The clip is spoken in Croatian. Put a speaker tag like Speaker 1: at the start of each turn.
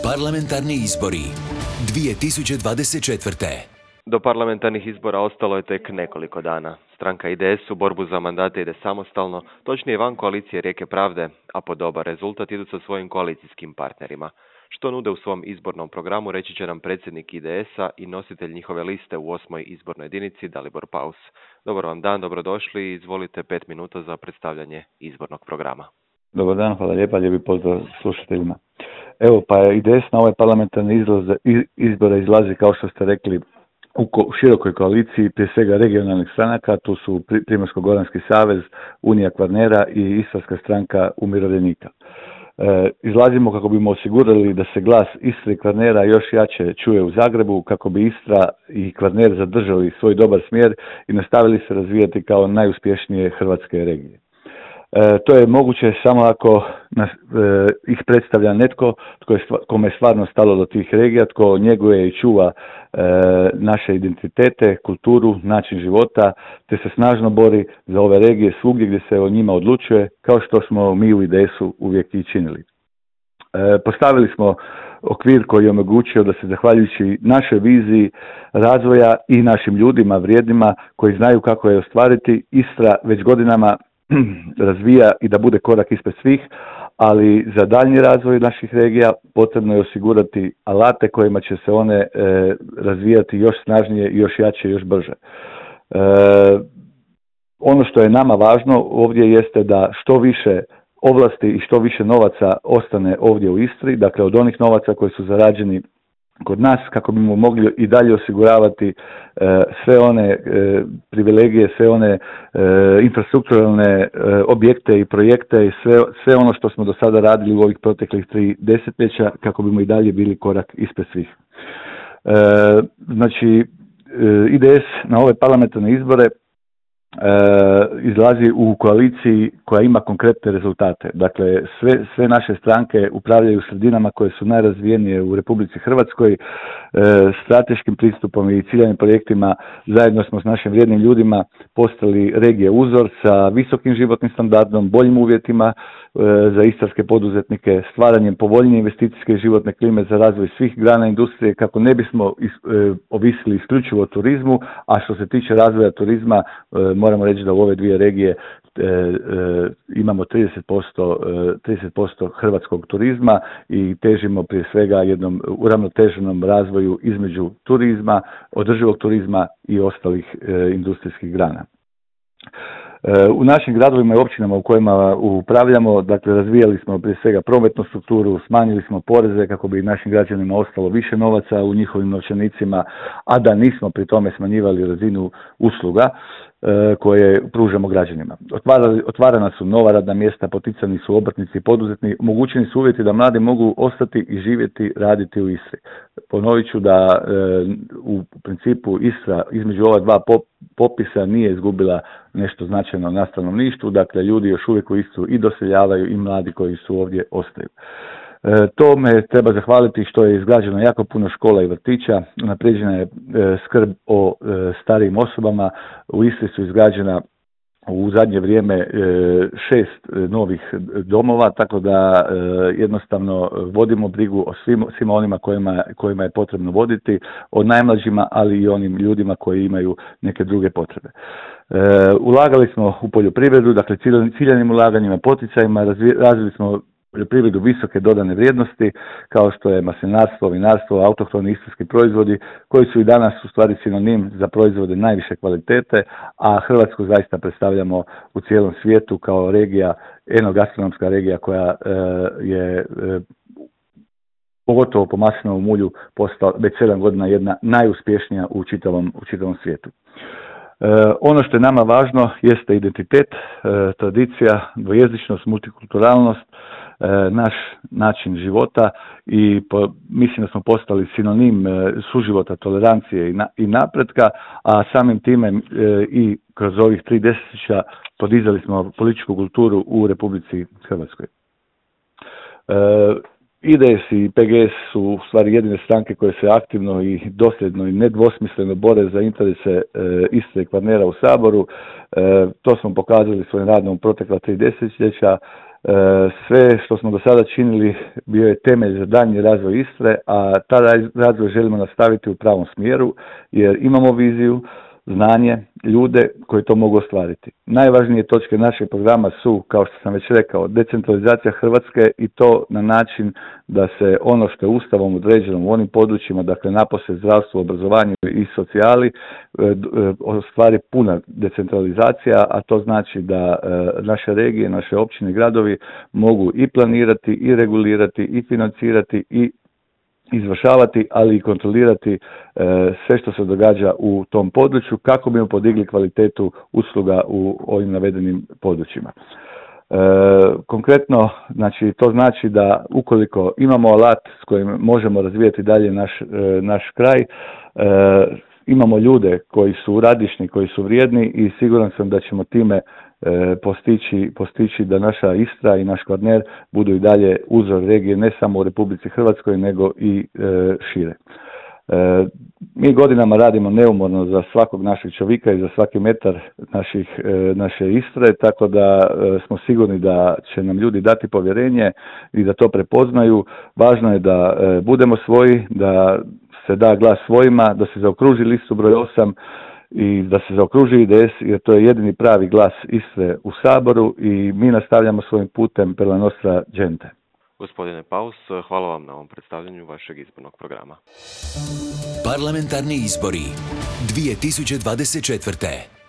Speaker 1: Parlamentarni izbori 2024.
Speaker 2: Do parlamentarnih izbora ostalo je tek nekoliko dana. Stranka IDS u borbu za mandate ide samostalno, točnije van koalicije Rijeke pravde, a po dobar rezultat idu sa svojim koalicijskim partnerima. Što nude u svom izbornom programu reći će nam predsjednik IDS-a i nositelj njihove liste u 8. izbornoj jedinici Dalibor Paus. Dobar vam dan, dobrodošli i izvolite 5 minuta za predstavljanje izbornog programa.
Speaker 3: Dobar dan, hvala lijepa, lijepi pozdrav slušateljima. Evo, pa IDS na ovaj parlamentarni izbora izlazi, kao što ste rekli, u širokoj koaliciji, prije svega regionalnih stranaka, tu su Primorsko-goranski savez, Unija Kvarnera i Istarska stranka umirovljenika. Izlazimo kako bimo osigurali da se glas Istre i Kvarnera još jače čuje u Zagrebu, kako bi Istra i Kvarner zadržali svoj dobar smjer i nastavili se razvijati kao najuspješnije hrvatske regije. To je moguće samo ako ih predstavlja netko kome je stvarno stalo do tih regija, tko njeguje i čuva naše identitete, kulturu, način života, te se snažno bori za ove regije svugdje gdje se o njima odlučuje, kao što smo mi u IDS-u uvijek i činili. Postavili smo okvir koji je omogućio da se, zahvaljujući našoj viziji razvoja i našim ljudima vrijednima koji znaju kako je ostvariti, Istra već godinama razvija i da bude korak ispred svih, ali za daljnji razvoj naših regija potrebno je osigurati alate kojima će se one razvijati još snažnije, još jače, još brže. Ono što je nama važno ovdje jeste da što više ovlasti i što više novaca ostane ovdje u Istri, dakle od onih novaca koji su zarađeni kod nas, kako bismo mogli i dalje osiguravati sve one privilegije, sve one infrastrukturalne objekte i projekte i sve ono što smo do sada radili u ovih proteklih 3 desetljeća, kako bismo i dalje bili korak ispred svih. Znači, IDS na ove parlamentarne izbore izlazi u koaliciji koja ima konkretne rezultate. Dakle, sve naše stranke upravljaju sredinama koje su najrazvijenije u Republici Hrvatskoj, strateškim pristupom i ciljanim projektima. Zajedno smo s našim vrijednim ljudima postali regije uzor sa visokim životnim standardom, boljim uvjetima za istarske poduzetnike, stvaranjem povoljnije investicijske i životne klime za razvoj svih grana industrije, kako ne bismo ovisili isključivo o turizmu, a što se tiče razvoja turizma, moramo reći da u ove dvije regije imamo 30% hrvatskog turizma i težimo prije svega jednom uravnoteženom razvoju između turizma, održivog turizma i ostalih industrijskih grana. U našim gradovima i općinama u kojima upravljamo, dakle, razvijali smo prije svega prometnu strukturu, smanjili smo poreze kako bi našim građanima ostalo više novaca u njihovim novčanicima, a da nismo pri tome smanjivali razinu usluga koje pružamo građanima. Otvarana su nova radna mjesta, poticani su obrtnici i poduzetni, omogućeni su uvjeti da mladi mogu ostati i živjeti, raditi u Istri. Ponovit ću da u principu Istra između ova dva popisa nije izgubila nešto značajno na stanovništvu, dakle ljudi još uvijek u Istru i doseljavaju i mladi koji su ovdje ostaju. Tome treba zahvaliti što je izgrađeno jako puno škola i vrtića, unaprijeđena je skrb o starijim osobama, u Istri su izgrađena u zadnje vrijeme 6 novih domova, tako da jednostavno vodimo brigu o svima onima kojima je potrebno voditi, o najmlađima, ali i onim ljudima koji imaju neke druge potrebe. Ulagali smo u poljoprivredu, dakle ciljanim ulaganjima, poticajima, razvili smo poljoprivredu visoke dodane vrijednosti, kao što je maslinarstvo, vinarstvo, autohtoni istarski proizvodi, koji su i danas u stvari sinonim za proizvode najviše kvalitete, a Hrvatsku zaista predstavljamo u cijelom svijetu kao regija, enogastronomska regija koja je pogotovo po maslinovom ulju postala već 7 godina jedna najuspješnija u čitavom svijetu. Ono što je nama važno jeste identitet, tradicija, dvojezičnost, multikulturalnost, naš način života i mislim da smo postali sinonim suživota, tolerancije i napretka, a samim time i kroz ovih 3 desetljeća podizali smo političku kulturu u Republici Hrvatskoj. IDS i PGS su u stvari jedine stranke koje se aktivno i dosljedno i nedvosmisleno bore za interese Istre i Kvarnera u Saboru. To smo pokazali svojim radom u protekla 3 desetljeća. Sve što smo do sada činili bio je temelj za daljnji razvoj Istre, a taj razvoj želimo nastaviti u pravom smjeru jer imamo viziju, znanje, ljude koji to mogu ostvariti. Najvažnije točke našeg programa su, kao što sam već rekao, decentralizacija Hrvatske i to na način da se ono što je Ustavom određeno u onim područjima, dakle napose zdravstvu, obrazovanju i socijali, ostvari puna decentralizacija, a to znači da naše regije, naše općine i gradovi mogu i planirati, i regulirati, i financirati, i izvršavati, ali i kontrolirati sve što se događa u tom području kako bi podigli kvalitetu usluga u ovim navedenim područjima. Konkretno, znači, to znači da ukoliko imamo alat s kojim možemo razvijati dalje naš kraj, imamo ljude koji su radišni, koji su vrijedni i siguran sam da ćemo time postići da naša Istra i naš Kvarner budu i dalje uzor regije ne samo u Republici Hrvatskoj nego i šire. Mi godinama radimo neumorno za svakog našeg čovjeka i za svaki metar naše Istre, tako da smo sigurni da će nam ljudi dati povjerenje i da to prepoznaju. Važno je da budemo svoji, da se da glas svojima, da se zaokruži listu broj 8 i da se zaokruži IDS, jer to je jedini pravi glas Istre u Saboru i mi nastavljamo svojim putem per la nostra gente.
Speaker 2: Gospodine Paus, hvala vam na ovom predstavljanju vašeg izbornog programa.
Speaker 1: Parlamentarni izbori 2024.